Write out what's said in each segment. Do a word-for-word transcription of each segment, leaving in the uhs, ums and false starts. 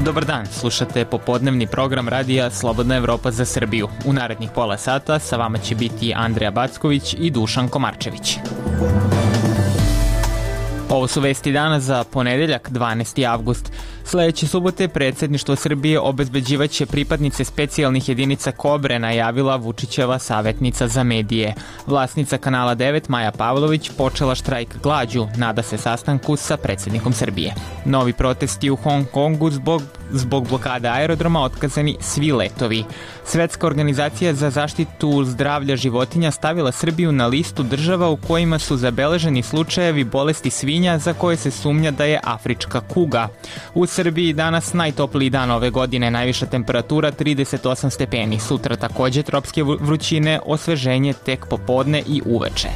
Dobar dan, slušate popodnevni program radija Slobodna Evropa za Srbiju. U narednih pola sata sa vama će biti Andreja Backović i Dušan Komarčević. Ovo su vesti dana za ponedeljak, dvanaesti avgust. Sledeće subote predsjedništvo Srbije obezbeđivaće pripadnice specijalnih jedinica Kobre, najavila Vučićeva savjetnica za medije. Vlasnica Kanala devet, Maja Pavlović, počela štrajk glađu, nada se sastanku sa predsjednikom Srbije. Novi protesti u Hong Kongu zbog, zbog blokade aerodroma, otkazani svi letovi. Svetska organizacija za zaštitu zdravlja životinja stavila Srbiju na listu država u kojima su zabeleženi slučajevi bolesti svinja za koje se sumnja da je afrička kuga. U Srbiji danas najtopliji dan ove godine, najviša temperatura trideset osam stepeni, sutra takođe tropske vrućine, osveženje tek popodne i uveče.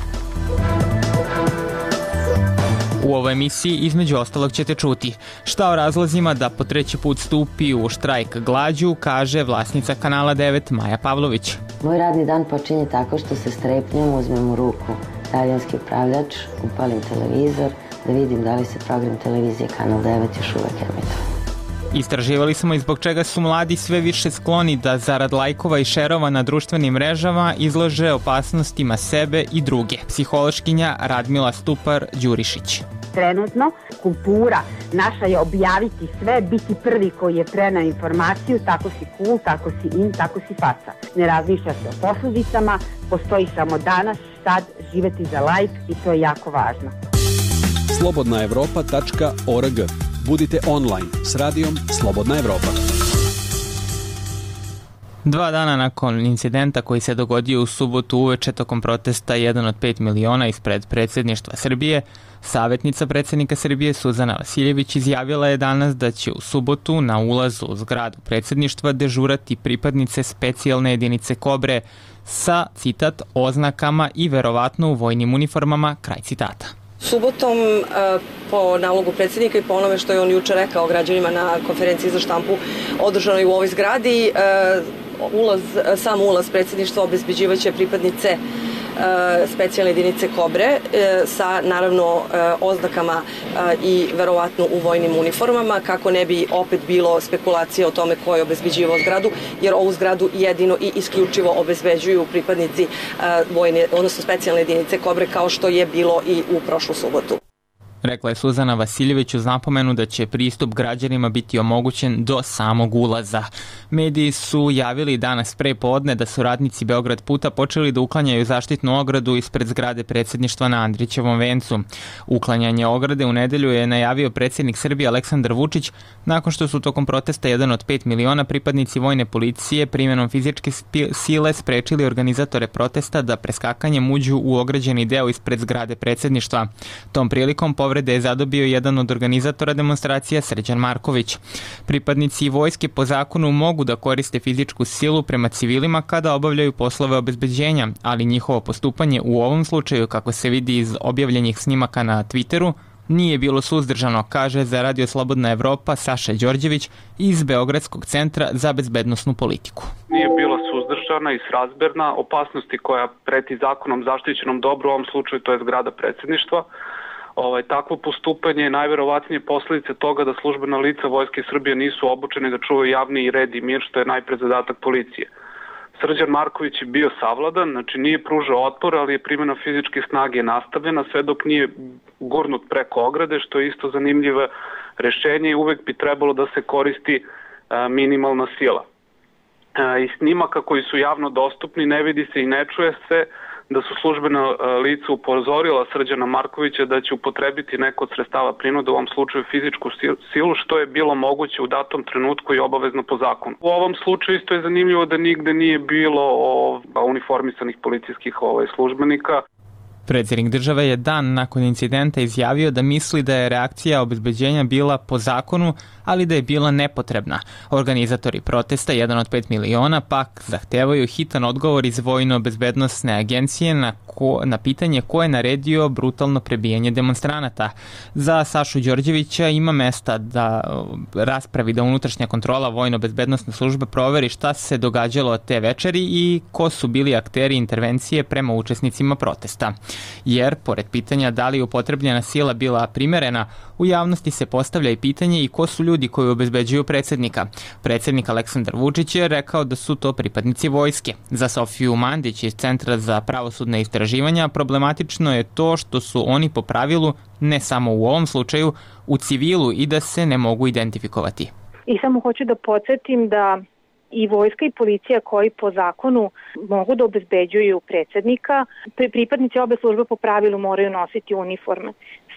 U ovoj emisiji između ostalog ćete čuti šta o razlozima da po treći put stupi u štrajk glađu, kaže vlasnica Kanala devet Maja Pavlović. Moj radni dan počinje tako što se strepnjom uzmem u ruku daljinski upravljač, upalim televizor, da vidim da li se program televizije Kanal devet još uvek emituje. Istraživali smo i zbog čega su mladi sve više skloni da zarad lajkova i šerova na društvenim mrežama izlože opasnostima sebe i druge. Psihološkinja Radmila Stupar-Đurišić. Trenutno kultura naša je objaviti sve, biti prvi koji je preneo informaciju, tako si cool, tako si in, tako si faca. Ne razmišlja se o posljedicama, postoji samo danas, sad, živeti za lajk i to je jako važno. slobodna evropa tačka org. Budite online s radijom Slobodna Evropa. Dva dana nakon incidenta koji se dogodio u subotu uveče tokom protesta jedan od pet miliona ispred predsjedništva Srbije, savjetnica predsjednika Srbije Suzana Vasiljević izjavila je danas da će u subotu na ulazu u zgradu predsjedništva dežurati pripadnice specijalne jedinice Kobre sa, citat, oznakama i verovatno u vojnim uniformama, kraj citata. Subotom, po nalogu predsjednika i po onome što je on juče rekao građanima na konferenciji za štampu održanoj u ovoj zgradi, ulaz, sam ulaz predsjedništva obezbeđivaće pripadnice specijalne jedinice Kobre sa naravno oznakama i verovatno u vojnim uniformama, kako ne bi opet bilo spekulacije o tome ko je obezbeđivao zgradu, jer ovu zgradu jedino i isključivo obezbeđuju pripadnici vojne, odnosno specijalne jedinice Kobre, kao što je bilo i u prošlu subotu. Rekla je Suzana Vasiljević uz napomenu da će pristup građanima biti omogućen do samog ulaza. Mediji su javili danas pre podne da su radnici Beograd puta počeli da uklanjaju zaštitnu ogradu ispred zgrade predsjedništva na Andrićevom vencu. Uklanjanje ograde u nedelju je najavio predsjednik Srbije Aleksandar Vučić nakon što su tokom protesta jedan od pet miliona pripadnici vojne policije primenom fizičke sile sprečili organizatore protesta da preskakanjem uđu u ograđeni deo ispred zgrade predsjedništva. Tom prilikom povrede je zadobio jedan od organizatora demonstracija, Srđan Marković. Pripadnici vojske po zakonu mogu da koriste fizičku silu prema civilima kada obavljaju poslove obezbeđenja, ali njihovo postupanje u ovom slučaju, kako se vidi iz objavljenih snimaka na Twitteru, nije bilo suzdržano, kaže za Radio Slobodna Evropa Saša Đorđević iz Beogradskog centra za bezbednosnu politiku. Nije bila suzdržana i srazmerna opasnosti koja preti zakonom zaštićenom dobru, u ovom slučaju to je zgrada predsjedništva. Ovaj, takvo postupanje je najverovatnije posljedice toga da službena lica Vojske Srbije nisu obučeni da čuvaju javni red i mir, što je najpre zadatak policije. Srđan Marković je bio savladan, znači nije pružao otpor, ali je primjena fizičke snage nastavljena sve dok nije gurnut preko ograde, što je isto zanimljivo rešenje i uvek bi trebalo da se koristi a, minimalna sila. A, iz snimaka koji su javno dostupni ne vidi se i ne čuje se da su službena lica upozorila Srđana Markovića da će upotrebiti neko od sredstava prinude, u ovom slučaju fizičku silu, što je bilo moguće u datom trenutku i obavezno po zakonu. U ovom slučaju isto je zanimljivo da nigde nije bilo o, uniformisanih policijskih ovaj, službenika. Predsjednik države je dan nakon incidenta izjavio da misli da je reakcija obezbeđenja bila po zakonu, ali da je bila nepotrebna. Organizatori protesta, jedan od pet miliona, pak zahtevaju hitan odgovor iz Vojno-bezbednosne agencije na, ko, na pitanje ko je naredio brutalno prebijanje demonstranata. Za Sašu Đorđevića ima mesta da raspravi da unutrašnja kontrola Vojno-bezbednosne službe proveri šta se događalo te večeri i ko su bili akteri intervencije prema učesnicima protesta. Jer, pored pitanja da li je upotrebljena sila bila primerena, u javnosti se postavlja i pitanje i ko su ljudi koji obezbeđuju predsjednika. Predsjednik Aleksandar Vučić je rekao da su to pripadnici vojske. Za Sofiju Mandić iz Centra za pravosudne istraživanja problematično je to što su oni po pravilu, ne samo u ovom slučaju, u civilu i da se ne mogu identifikovati. I samo hoću da podsjetim da i vojska i policija koji po zakonu mogu da obezbeđuju predsjednika, pripadnici obe službe po pravilu moraju nositi uniforme.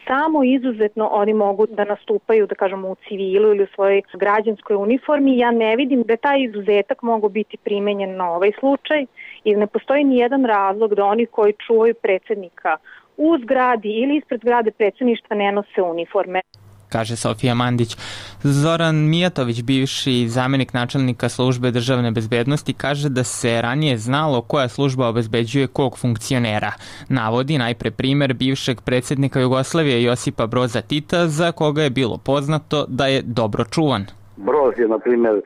Samo izuzetno oni mogu da nastupaju, da kažemo, u civilu ili u svojoj građanskoj uniformi. Ja ne vidim da taj izuzetak mogu biti primenjen na ovaj slučaj i ne postoji ni jedan razlog da oni koji čuvaju predsjednika u zgradi ili ispred zgrade predsjedništva ne nose uniforme, kaže Sofija Mandić. Zoran Mijatović, bivši zamjenik načelnika službe državne bezbednosti, kaže da se ranije znalo koja služba obezbeđuje kog funkcionera. Navodi najpre primer bivšeg predsjednika Jugoslavije Josipa Broza Tita, za koga je bilo poznato da je dobro čuvan. Broz je, na primjer,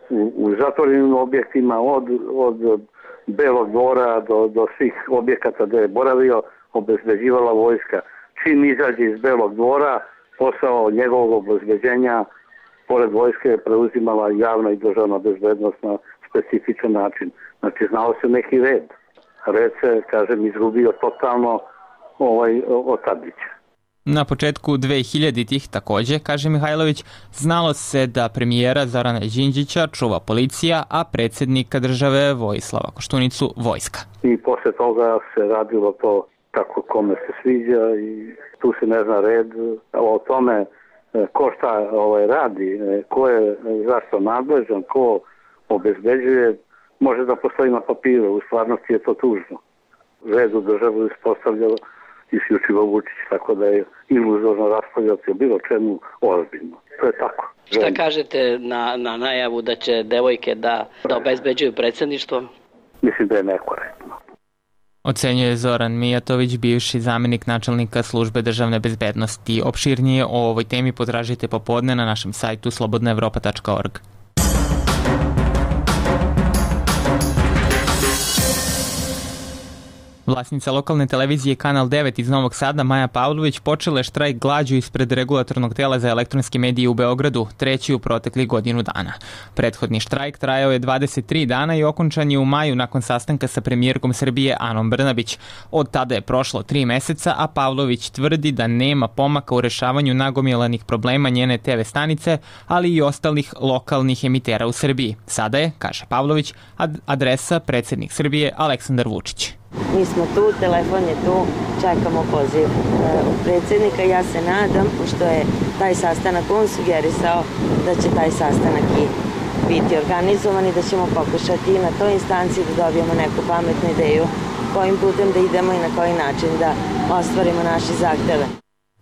u, u zatvorenim objektima od, od Belog dvora do, do svih objekata gde je boravio obezbeđivala vojska. Čim izađe iz Belog dvora, posao njegovog obezbeđenja pored vojske je preuzimala javna i državna bezbednost na specifičan način. Znači, znao se neki red. Red se, kažem, izgubio totalno ovaj, od Tadića. Na početku dve hiljaditih takođe, kaže Mihajlović, znalo se da premijera Zorana Đinđića čuva policija, a predsjednika države Vojislava Koštunicu vojska. I posle toga se radilo to kako kome se sviđa i tu se ne zna red o tome ko šta ovaj, radi, ko je zašto nadležan, ko obezbeđuje, može da postoji na papiru, u stvarnosti je to tužno. Red u državu ispostavljalo isključivo Vučić, tako da je iluzorno raspravljati o bilo čemu ozbiljno. To je tako. Šta kažete na, na najavu da će devojke da, da obezbeđuju predsjedništvo? Mislim da je nekorektno. Ocenjuje Zoran Mijatović, bivši zamjenik načelnika službe državne bezbednosti. Opširnije o ovoj temi potražite popodne na našem sajtu slobodna evropa tačka org. Vlasnica lokalne televizije Kanal devet iz Novog Sada, Maja Pavlović, počela je štrajk glađu ispred regulatornog tela za elektronske medije u Beogradu, treći u proteklih godinu dana. Prethodni štrajk trajao je dvadeset tri dana i okončan je u maju nakon sastanka sa premijerkom Srbije Anom Brnabić. Od tada je prošlo tri meseca, a Pavlović tvrdi da nema pomaka u rešavanju nagomilanih problema njene te ve stanice, ali i ostalih lokalnih emitera u Srbiji. Sada je, kaže Pavlović, ad- adresa predsjednik Srbije Aleksandar Vučić. Mi smo tu, telefon je tu, čekamo poziv predsjednika. Ja se nadam, pošto je taj sastanak on sugerisao, da će taj sastanak i biti organizovan i da ćemo pokušati i na toj instanciji da dobijemo neku pametnu ideju kojim putem da idemo i na koji način da ostvarimo naše zahteve.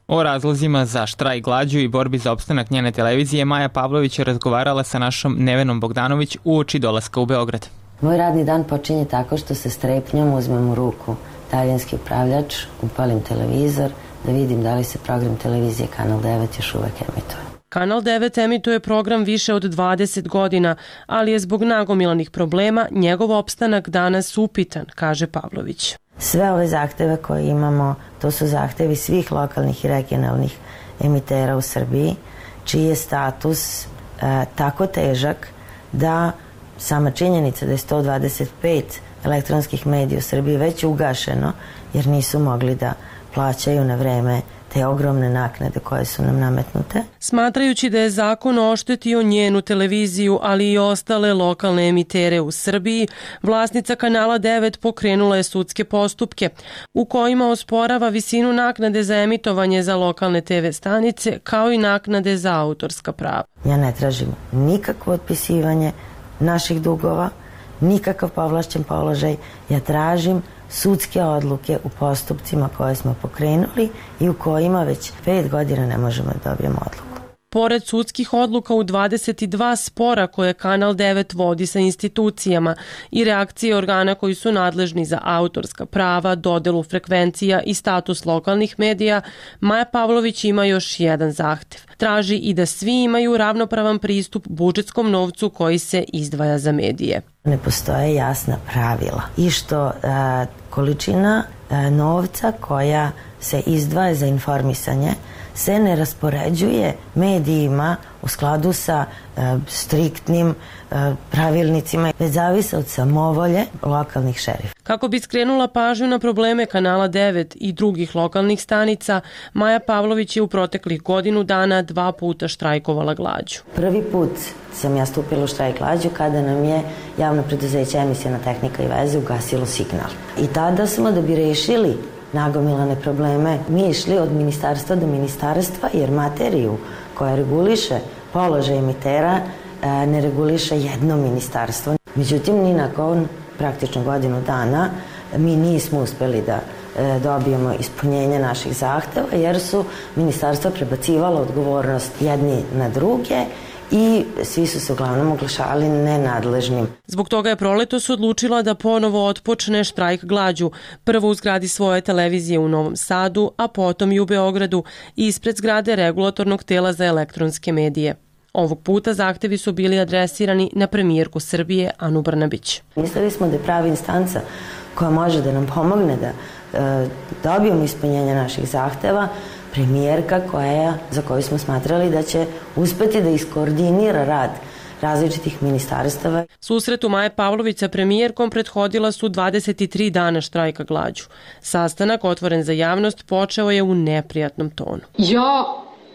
O razlozima za štrajk glađu i borbi za opstanak njene televizije Maja Pavlović je razgovarala sa našom Nevenom Bogdanović uoči dolaska u Beograd. Moj radni dan počinje tako što se strepnjom uzmem u ruku talijanski upravljač, upalim televizor, da vidim da li se program televizije Kanal devet još uvek emituje. Kanal devet emituje program više od dvadeset godina, ali je zbog nagomilanih problema njegov opstanak danas upitan, kaže Pavlović. Sve ove zahteve koje imamo, to su zahtevi svih lokalnih i regionalnih emitera u Srbiji, čiji je status e, tako težak da sama činjenica da je sto dvadeset pet elektronskih medija u Srbiji već ugašeno, jer nisu mogli da plaćaju na vreme te ogromne naknade koje su nam nametnute. Smatrajući da je zakon oštetio njenu televiziju, ali i ostale lokalne emitere u Srbiji, vlasnica Kanala devet pokrenula je sudske postupke u kojima osporava visinu naknade za emitovanje za lokalne te ve stanice, kao i naknade za autorska prava. Ja ne tražim nikakvo otpisivanje naših dugova, nikakav povlašćen položaj. Ja tražim sudske odluke u postupcima koje smo pokrenuli i u kojima već pet godina ne možemo da dobijemo odluku. Pored sudskih odluka u dvadeset dva spora koje Kanal devet vodi sa institucijama i reakcije organa koji su nadležni za autorska prava, dodelu frekvencija i status lokalnih medija, Maja Pavlović ima još jedan zahtev. Traži i da svi imaju ravnopravan pristup budžetskom novcu koji se izdvaja za medije. Ne postoje jasna pravila i što a, količina novca koja se izdvaja za informisanje se ne raspoređuje medijima u skladu sa e, striktnim e, pravilnicima, već zavise od samovolje lokalnih šerifa. Kako bi skrenula pažnju na probleme Kanala devet i drugih lokalnih stanica, Maja Pavlović je u proteklih godinu dana dva puta štrajkovala glađu. Prvi put sam ja stupila u štrajk glađu kada nam je javno preduzeće Emisiona tehnika i veze ugasilo signal. I tada smo, da bi rešili nagomilane probleme, mi išli od ministarstva do ministarstva, jer materiju koja reguliše položaj emitera ne reguliše jedno ministarstvo. Međutim, ni nakon praktično godinu dana mi nismo uspeli da dobijemo ispunjenje naših zahteva, jer su ministarstva prebacivala odgovornost jedni na druge i svi su se uglavnom oglašavali nenadležnim. Zbog toga je proletos odlučila da ponovo otpočne štrajk glađu, prvo u zgradi svoje televizije u Novom Sadu, a potom i u Beogradu, ispred zgrade Regulatornog tela za elektronske medije. Ovog puta zahtevi su bili adresirani na premijerku Srbije Anu Brnabić. Mislili smo da je prava instanca koja može da nam pomogne da e, dobijemo ispunjenje naših zahteva premijerka koja, za koju smo smatrali da će uspeti da iskoordinira rad različitih ministarstava. Susretu Maje Pavlović sa premijerkom prethodila su dvadeset tri dana štrajka glađu. Sastanak, otvoren za javnost, počeo je u neprijatnom tonu. Ja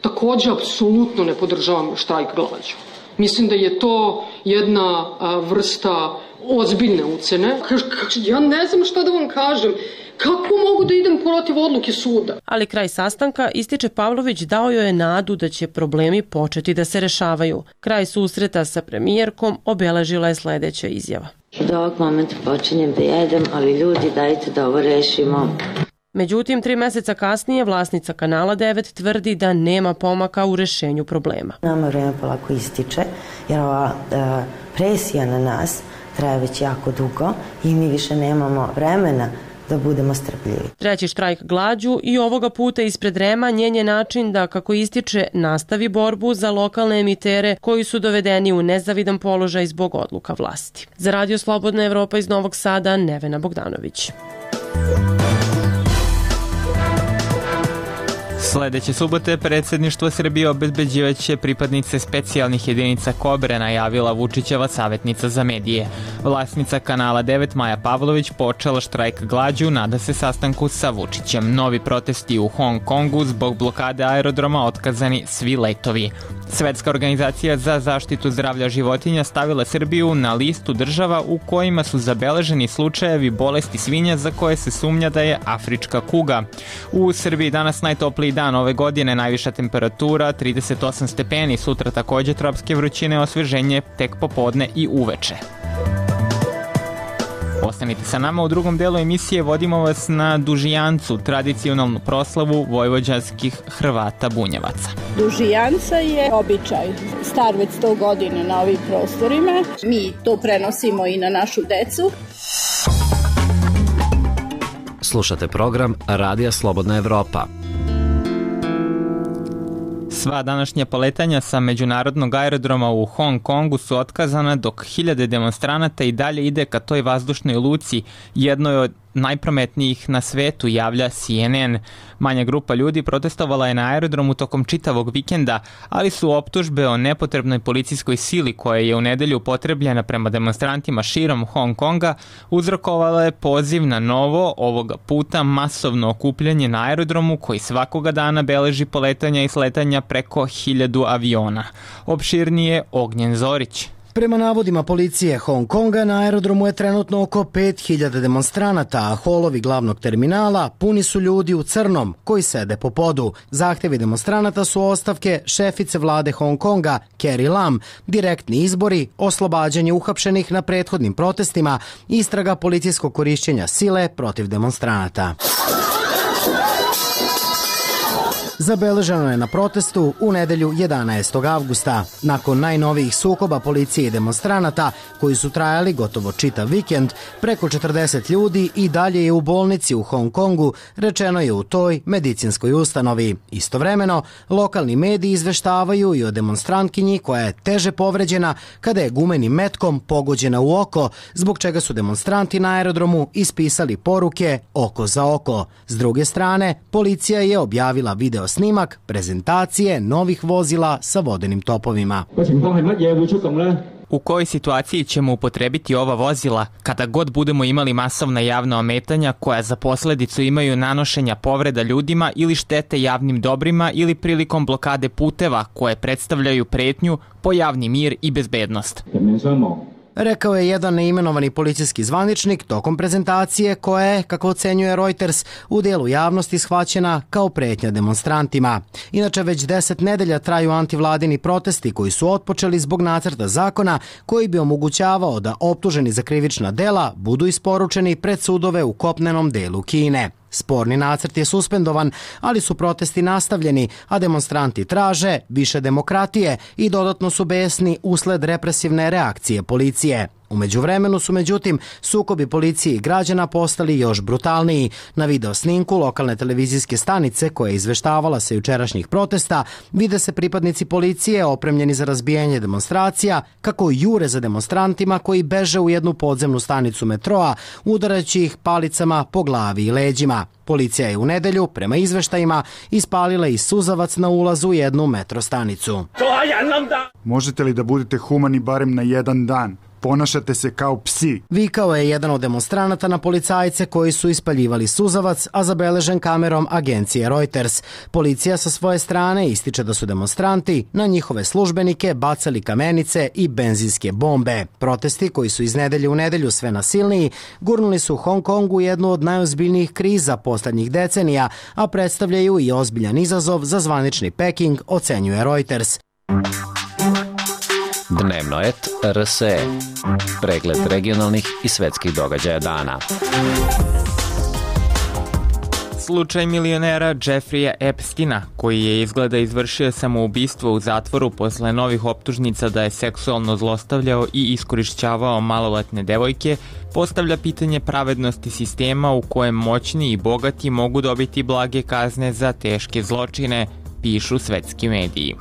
takođe apsolutno ne podržavam štrajk glađu. Mislim da je to jedna a, vrsta ozbiljne ucene. Ja ne znam šta da vam kažem. Kako mogu da idem protiv odluke suda? Ali kraj sastanka, ističe Pavlović, dao joj je nadu da će problemi početi da se rešavaju. Kraj susreta sa premijerkom obeležila je sledeća izjava. Od ovog momenta počinjem da jedem, ali ljudi, dajte da ovo rešimo. Međutim, tri meseca kasnije vlasnica Kanala devet tvrdi da nema pomaka u rešenju problema. Nama vreme polako ističe, jer ova e, presija na nas traje već jako dugo i mi više nemamo vremena da budemo strpljivi. Treći štrajk glađu i ovoga puta ispred REM-a njen je način da, kako ističe, nastavi borbu za lokalne emitere koji su dovedeni u nezavidan položaj zbog odluka vlasti. Za Radio Slobodna Evropa iz Novog Sada, Nevena Bogdanović. Sledeće subote predsjedništvo Srbije obezbeđivaće pripadnice specijalnih jedinica Kobre, najavila Vučićeva savjetnica za medije. Vlasnica Kanala devet Maja Pavlović počela štrajk glađu, nada se sastanku sa Vučićem. Novi protesti u Hong Kongu, zbog blokade aerodroma otkazani svi letovi. Svetska organizacija za zaštitu zdravlja životinja stavila Srbiju na listu država u kojima su zabeleženi slučajevi bolesti svinja za koje se sumnja da je afrička kuga. U Srbiji danas najtopliji dan ove godine, najviša temperatura trideset osam stepeni, sutra takođe tropske vrućine, osveženje tek popodne i uveče. Ostanite sa nama, u drugom delu emisije vodimo vas na Dužijancu, tradicionalnu proslavu vojvođanskih Hrvata bunjevaca. Dužijanca je običaj, star već sto godina na ovim prostorima. Mi to prenosimo i na našu decu. Slušate program Radija Slobodna Evropa. Sva današnja poletanja sa međunarodnog aerodroma u Hong Kongu su otkazana, dok hiljade demonstranata i dalje ide ka toj vazdušnoj luci, jednoj od najprometnijih na svetu, javlja C N N. Manja grupa ljudi protestovala je na aerodromu tokom čitavog vikenda, ali su optužbe o nepotrebnoj policijskoj sili koja je u nedelju upotrebljena prema demonstrantima širom Hong Konga uzrokovale poziv na novo, ovoga puta masovno okupljanje na aerodromu koji svakoga dana beleži poletanja i sletanja preko hiljadu aviona. Opširnije Ognjen Zorić. Prema navodima policije Hong Konga, na aerodromu je trenutno oko pet hiljada demonstranata, a holovi glavnog terminala puni su ljudi u crnom koji sede po podu. Zahtevi demonstranata su ostavke šefice vlade Hong Konga, Carrie Lam, direktni izbori, oslobađanje uhapšenih na prethodnim protestima, istraga policijskog korišćenja sile protiv demonstranata. zabeleženo je na protestu u nedelju jedanaestog avgusta. Nakon najnovijih sukoba policije i demonstranata, koji su trajali gotovo čitav vikend, preko četrdeset ljudi i dalje je u bolnici u Hong Kongu, rečeno je u toj medicinskoj ustanovi. Istovremeno, lokalni mediji izveštavaju i o demonstrantkinji koja je teže povređena kada je gumenim metkom pogođena u oko, zbog čega su demonstranti na aerodromu ispisali poruke oko za oko. S druge strane, policija je objavila video snimak prezentacije novih vozila sa vodenim topovima. U kojoj situaciji ćemo upotrebiti ova vozila kada god budemo imali masovna javna ometanja koja za posledicu imaju nanošenja povreda ljudima ili štete javnim dobrima ili prilikom blokade puteva koje predstavljaju pretnju po javni mir i bezbednost? Rekao je jedan neimenovani policijski zvaničnik tokom prezentacije koja je, kako ocenjuje Reuters, u delu javnosti shvaćena kao pretnja demonstrantima. Inače, već deset nedelja traju antivladini protesti koji su otpočeli zbog nacrta zakona koji bi omogućavao da optuženi za krivična dela budu isporučeni pred sudove u kopnenom delu Kine. Sporni nacrt je suspendovan, ali su protesti nastavljeni, a demonstranti traže više demokratije i dodatno su besni usled represivne reakcije policije. U međuvremenu su, međutim, sukobi policije i građana postali još brutalniji. Na video snimku lokalne televizijske stanice koja je izveštavala sa jučerašnjih protesta vide se pripadnici policije opremljeni za razbijanje demonstracija kako jure za demonstrantima koji beže u jednu podzemnu stanicu metroa, udarajući ih palicama po glavi i leđima. Policija je u nedelju, prema izveštajima, ispalila i suzavac na ulazu u jednu metro stanicu. Možete li da budete humani barem na jedan dan? Ponašate se kao psi. Vikao je jedan od demonstranata na policajce koji su ispaljivali suzavac, a zabeležen kamerom agencije Reuters. Policija sa svoje strane ističe da su demonstranti na njihove službenike bacali kamenice i benzinske bombe. Protesti, koji su iz nedelje u nedelju sve nasilniji, gurnuli su u Hong Kongu jednu od najozbiljnijih kriza poslednjih decenija, a predstavljaju i ozbiljan izazov za zvanični Peking, ocenjuje Reuters. Dnevno et R S E. Pregled regionalnih i svetskih događaja dana. Slučaj milionera Jeffreya Epsteina, koji je izgleda izvršio samoubistvo u zatvoru posle novih optužnica da je seksualno zlostavljao i iskorišćavao maloletne devojke, postavlja pitanje pravednosti sistema u kojem moćni i bogati mogu dobiti blage kazne za teške zločine, pišu svetski mediji.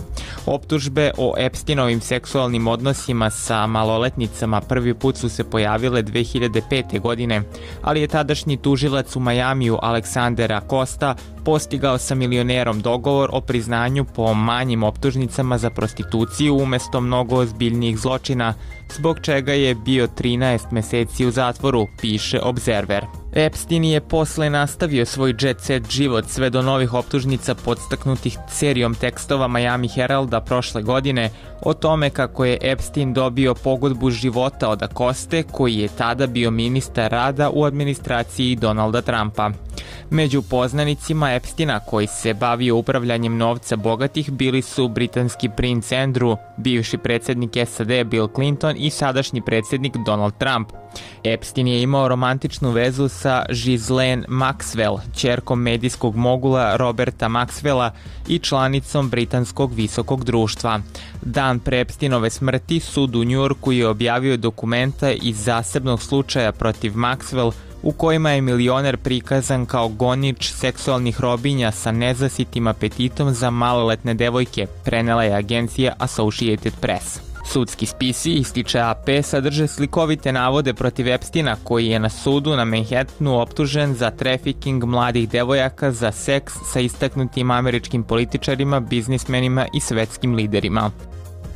Optužbe o Epsteinovim seksualnim odnosima sa maloletnicama prvi put su se pojavile dve hiljade pete. godine, ali je tadašnji tužilac u Majamiju Alexander Acosta postigao sa milionerom dogovor o priznanju po manjim optužnicama za prostituciju umesto mnogo ozbiljnijih zločina, zbog čega je bio trinaest meseci u zatvoru, piše Observer. Epstein je posle nastavio svoj jet set život sve do novih optužnica podstaknutih serijom tekstova Miami Heralda prošle godine o tome kako je Epstein dobio pogodbu života od Acoste, koji je tada bio ministar rada u administraciji Donalda Trumpa. Među poznanicima Epsteina koji se bavio upravljanjem novca bogatih bili su britanski princ Andrew, bivši predsjednik S A D Bill Clinton i sadašnji predsjednik Donald Trump. Epstein je imao romantičnu vezu sa Ghislaine Maxwell, ćerkom medijskog mogula Roberta Maxwella i članicom britanskog visokog društva. Dan pre Epsteinove smrti sud u Njujorku je objavio dokumenta iz zasebnog slučaja protiv Maxwell u kojima je milioner prikazan kao gonič seksualnih robinja sa nezasitim apetitom za maloletne devojke, prenela je agencija Associated Press. Sudski spisi, ističe A P, sadrže slikovite navode protiv Epsteina, koji je na sudu na Manhattanu optužen za trafiking mladih devojaka za seks sa istaknutim američkim političarima, biznismenima i svetskim liderima.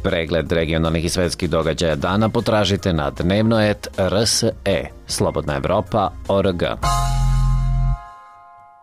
Pregled regionalnih i svetskih događaja dana potražite na dnevno et R S E. Slobodna Evropa, O R G.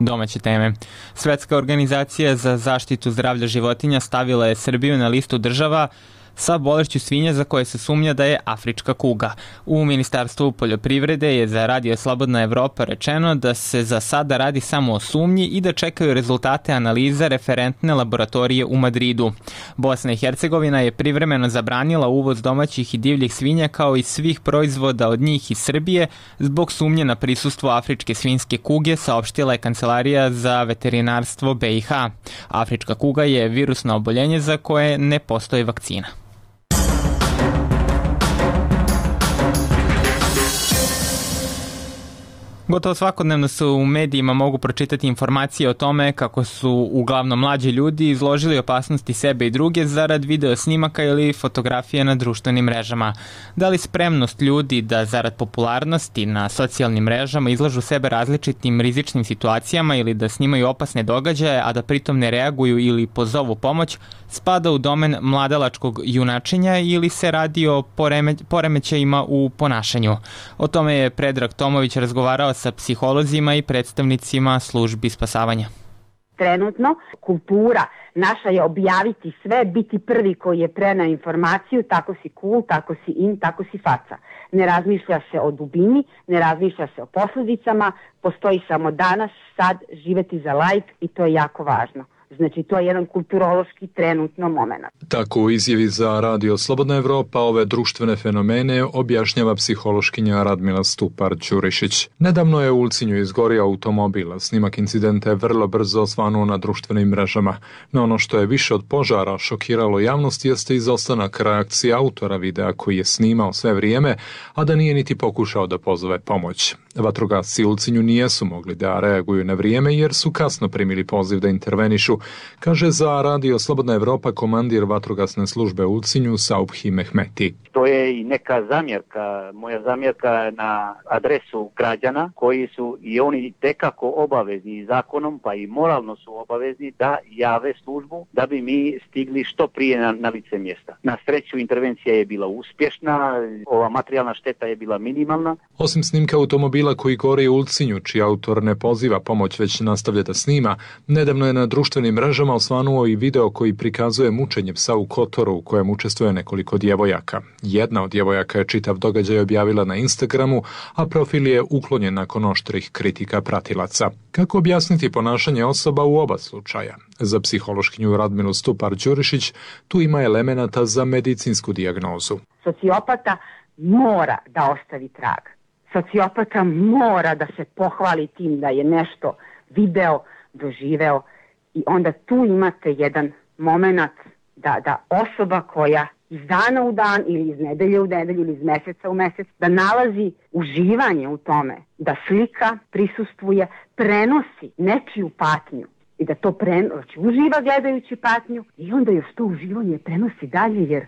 Domaće teme. Svetska organizacija za zaštitu zdravlja životinja stavila je Srbiju na listu država sa bolešću svinja za koje se sumnja da je afrička kuga. U Ministarstvu poljoprivrede je za Radio Slobodna Evropa rečeno da se za sada radi samo o sumnji i da čekaju rezultate analiza referentne laboratorije u Madridu. Bosna i Hercegovina je privremeno zabranila uvoz domaćih i divljih svinja kao i svih proizvoda od njih iz Srbije zbog sumnje na prisustvo afričke svinjske kuge, saopštila je Kancelarija za veterinarstvo B i H. Afrička kuga je virusno oboljenje za koje ne postoji vakcina. Gotovo svakodnevno se u medijima mogu pročitati informacije o tome kako su uglavnom mlađi ljudi izložili opasnosti sebe i druge zarad video snimaka ili fotografije na društvenim mrežama. Da li spremnost ljudi da zarad popularnosti na socijalnim mrežama izlažu sebe različitim rizičnim situacijama ili da snimaju opasne događaje, a da pritom ne reaguju ili pozovu pomoć, spada u domen mladalačkog junačenja ili se radi o poreme, poremećajima u ponašanju. O tome je Predrag Tomović razgovarao sa psiholozima i predstavnicima službi spasavanja. Trenutno kultura naša je objaviti sve, biti prvi koji je preneo informaciju, tako si cool, tako si in, tako si faca. Ne razmišlja se o dubini, ne razmišlja se o posljedicama, postoji samo danas, sad, živeti za like i to je jako važno. Znači, to je jedan kulturološki trenutno moment. Tako u izjavi za Radio Slobodna Evropa ove društvene fenomene objašnjava psihološkinja Radmila Stupar-Ćurišić. Nedavno je u Ulcinju izgorio automobil. Snimak incidenta je vrlo brzo osvanuo na društvenim mrežama. No ono što je više od požara šokiralo javnost jeste izostanak reakcije autora videa koji je snimao sve vrijeme, a da nije niti pokušao da pozove pomoć. Vatrogasci u Ulcinju nijesu mogli da reaguju na vrijeme jer su kasno primili poziv da intervenišu, kaže za Radio Slobodna Evropa komandir vatrogasne službe u Ulcinju Saubhi Mehmeti. To je i neka zamjerka, moja zamjerka na adresu građana koji su i oni tekako obavezni zakonom, pa i moralno su obavezni da jave službu da bi mi stigli što prije na, na lice mjesta. Na sreću intervencija je bila uspješna, ova materijalna šteta je bila minimalna. Osim snimka automobila koji gore u Ulcinju, čiji autor ne poziva pomoć već nastavlja da snima, nedavno je na društvenim mrežama osvanuo i video koji prikazuje mučenje psa u Kotoru u kojem učestvuje nekoliko djevojaka. Jedna od djevojaka je čitav događaj objavila na Instagramu, a profil je uklonjen nakon oštrih kritika pratilaca. Kako objasniti ponašanje osoba u oba slučaja? Za psihološkinju Radmilu Stupar-Ćurišić tu ima elemenata za medicinsku dijagnozu. Sociopata mora da ostavi trag. Sociopata mora da se pohvali tim da je nešto video, doživeo i onda tu imate jedan moment da, da osoba koja iz dana u dan ili iz nedelje u nedelju ili iz mjeseca u mjesec da nalazi uživanje u tome, da slika, prisustvuje, prenosi nečiju patnju i da to prenosi, uživa gledajući patnju i onda još to uživanje prenosi dalje jer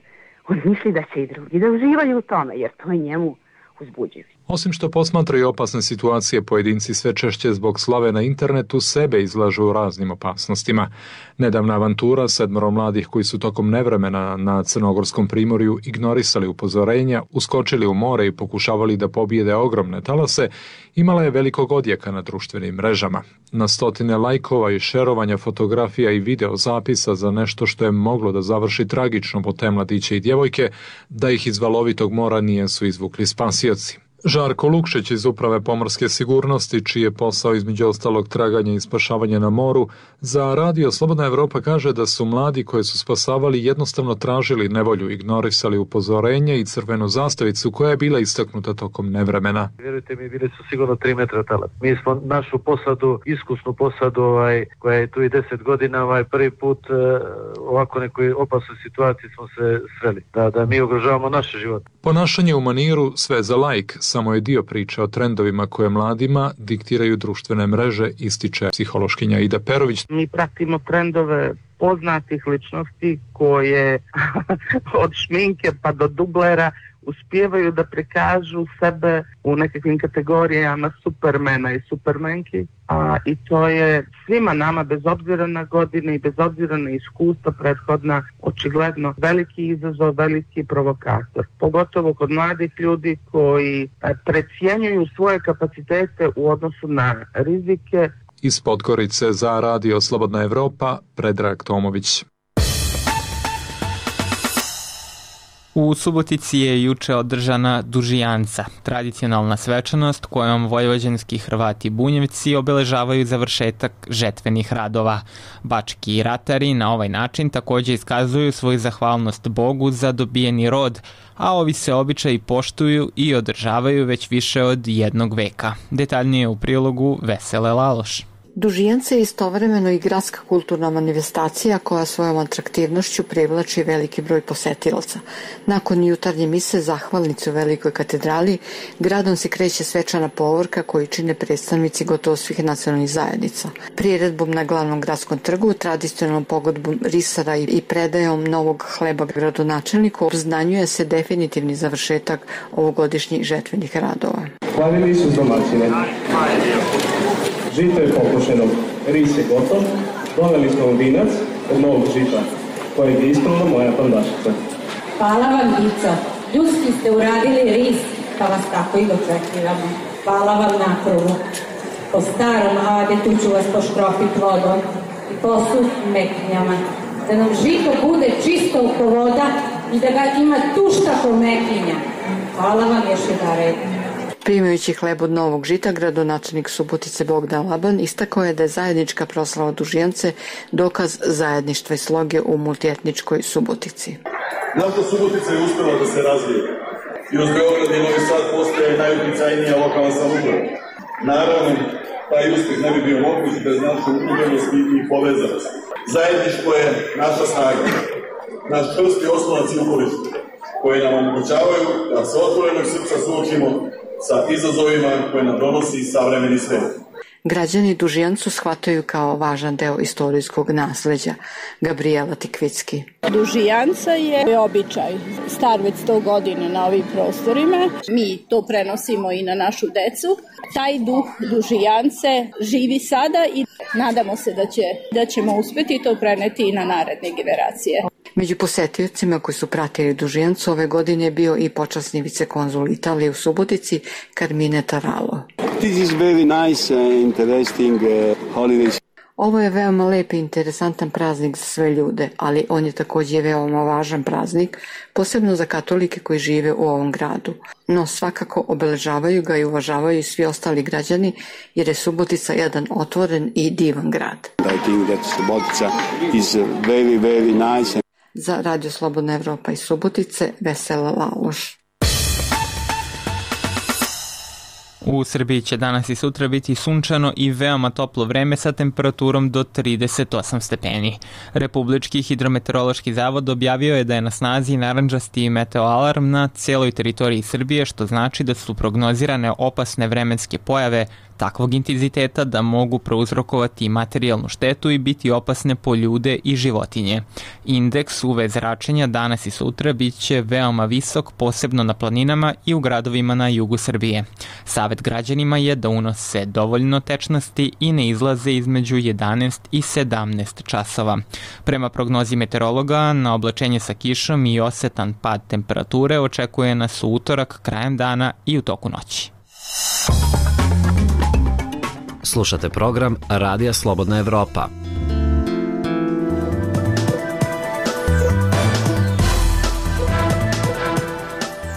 on misli da će i drugi da uživaju u tome jer to je njemu uzbuđivo. Osim što posmatraju opasne situacije, pojedinci sve češće zbog slave na internetu sebe izlažu raznim opasnostima. Nedavna avantura sedmoro mladih koji su tokom nevremena na Crnogorskom primorju ignorisali upozorenja, uskočili u more i pokušavali da pobijede ogromne talase, imala je velikog odjeka na društvenim mrežama. Na stotine lajkova i šerovanja fotografija i video zapisa za nešto što je moglo da završi tragično po te mladiće i djevojke, da ih iz valovitog mora nijesu izvukli spasioci. Žarko Lukšić iz Uprave pomorske sigurnosti, čiji je posao između ostalog traganje i spašavanje na moru, za Radio Slobodna Evropa kaže da su mladi koje su spasavali jednostavno tražili nevolju, ignorisali upozorenje i crvenu zastavicu koja je bila istaknuta tokom nevremena. Vjerujte mi, bili su sigurno tri metra talas. Mi smo našu posadu, iskusnu posadu, ovaj, koja je tu i deset godina, ovaj, prvi put eh, ovako nekoj opasnoj situaciji smo se sreli, da, da mi ugrožavamo naše živote. Ponašanje u maniru sve za like samo je dio priče o trendovima koje mladima diktiraju društvene mreže, ističe psihološkinja Ida Perović. Mi pratimo trendove poznatih ličnosti koje od šminke pa do dublera uspijevaju da prikažu sebe u nekakvim kategorijama supermena i supermenki, a i to je svima nama bez obzira na godine i bez obzira na iskustva prethodna očigledno veliki izazov, veliki provokator. Pogotovo kod mladih ljudi koji precijenjuju svoje kapacitete u odnosu na rizike. Iz Podgorice za Radio Slobodna Evropa, Predrag Tomović. U Subotici je juče održana Dužijanca, tradicionalna svečanost kojom vojvođanski Hrvati Bunjevci obeležavaju završetak žetvenih radova. Bački ratari na ovaj način takođe iskazuju svoju zahvalnost Bogu za dobijeni rod, a ovi se običaji poštuju i održavaju već više od jednog veka. Detaljnije u prilogu Vesele Laloš. Dužijanca je istovremeno i gradska kulturna manifestacija koja svojom atraktivnošću privlači veliki broj posetilaca. Nakon jutarnje mise zahvalnice u Velikoj katedrali, gradom se kreće svečana povorka koju čine predstavnici gotovo svih nacionalnih zajednica. Priredbom na glavnom gradskom trgu, tradicionalnom pogodbom risara i predajom novog hleba gradonačelniku obznanjuje se definitivni završetak ovogodišnjih žetvenih radova. Slavili su domaćine. Žito je pokošeno, ris je gotov, doveli smo vinac od novog žita, kojeg je ispravila moja pandašica. Hvala vam, Ico. Ljudski ste uradili ris, pa vas tako i dočekivamo. Hvala vam na krugu. Po starom adetu ću vas poškropiti vodom i posut meknjama. Da nam žito bude čisto oko voda i da ga ima tušta ko mekinja. Hvala vam još jedare. Primajući hleb od novog žita, gradonačelnik Subotice Bogdan Laban istakao je da je zajednička proslava Dužijance dokaz zajedništva i sloge u multietničkoj Subotici. Naša Subotica je uspela da se razvije i uz Beograd i Novi Sad postaje najuticajnija lokalna samouprava. Naravno, taj uspeh ne bi bio moguć bez naše udruženosti i povezanosti. Zajedništvo je naša snaga, naš čvrsti oslonac i uporište, koje nam omogućavaju da se otvorenog srca suočimo sa izazovima koje nam donosi savremeni svet. Građani Dužijancu shvataju kao važan deo istorijskog nasleđa. Gabriela Tikvicki. Dužijanca je običaj, star već sto godina na ovim prostorima. Mi to prenosimo i na našu decu. Taj duh Dužijance živi sada i nadamo se da, će, da ćemo uspeti to preneti i na naredne generacije. Među posetiocima koji su pratili Dužijancu ove godine je bio i počasni vicekonzul Italije u Subotici Carmine Taralo. This is very nice and interesting uh, holiday. Ovo je veoma lep i interesantan praznik za sve ljude, ali on je takođe veoma važan praznik, posebno za katolike koji žive u ovom gradu. No svakako obeležavaju ga i uvažavaju svi ostali građani, jer je Subotica jedan otvoren i divan grad. I think that Subotica is very, very nice. Za Radio Slobodna Evropa iz Subotice, Vesela Laloš. U Srbiji će danas i sutra biti sunčano i veoma toplo vreme sa temperaturom do trideset osam stepeni. Republički hidrometeorološki zavod objavio je da je na snazi narandžasti meteoalarm na celoj teritoriji Srbije, što znači da su prognozirane opasne vremenske pojave takvog intenziteta da mogu prouzrokovati materijalnu štetu i biti opasne po ljude i životinje. Indeks U V zračenja danas i sutra bit će veoma visok, posebno na planinama i u gradovima na jugu Srbije. Savet građanima je da unose dovoljno tečnosti i ne izlaze između jedanaest i sedamnaest časova. Prema prognozi meteorologa, na oblačenje sa kišom i osetan pad temperature očekuje nas u utorak, krajem dana i u toku noći. Slušate program Radija Slobodna Evropa.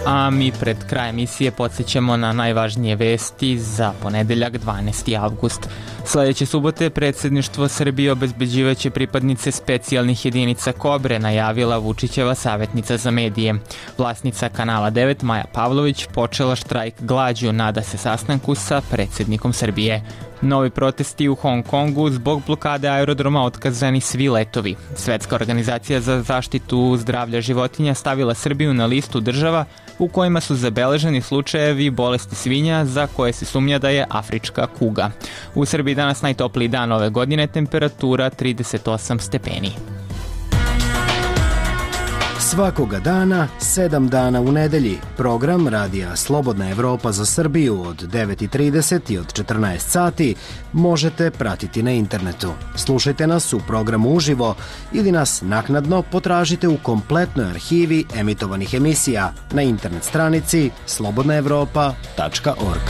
A mi pred kraj emisije podsjećamo na najvažnije vesti za ponedeljak dvanaesti avgust. Sledeće subote predsjedništvo Srbije obezbeđivaće pripadnice specijalnih jedinica Kobre, najavila Vučićeva savjetnica za medije. Vlasnica Kanala devet Maja Pavlović počela štrajk glađu, nada se sastanku sa predsjednikom Srbije. Novi protesti u Hong Kongu, zbog blokade aerodroma otkazani svi letovi. Svetska organizacija za zaštitu zdravlja životinja stavila Srbiju na listu država u kojima su zabeleženi slučajevi bolesti svinja za koje se sumnja da je afrička kuga. U Srbiji danas najtopliji dan ove godine, temperatura trideset osam stepeni. Svakoga dana, sedam dana u nedelji, program Radija Slobodna Evropa za Srbiju od devet i trideset i od četrnaest sati možete pratiti na internetu. Slušajte nas u programu uživo ili nas naknadno potražite u kompletnoj arhivi emitovanih emisija na internet stranici slobodna evropa tačka org.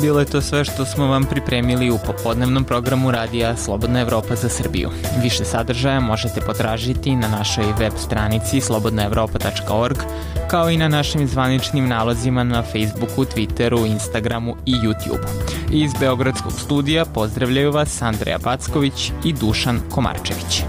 bilo je to sve što smo vam pripremili u popodnevnom programu radija Slobodna Evropa za Srbiju. Više sadržaja možete potražiti na našoj web stranici slobodna evropa tačka org, kao i na našim zvaničnim nalozima na Facebooku, Twitteru, Instagramu i YouTubeu. Iz Beogradskog studija pozdravljaju vas Andreja Backović i Dušan Komarčević.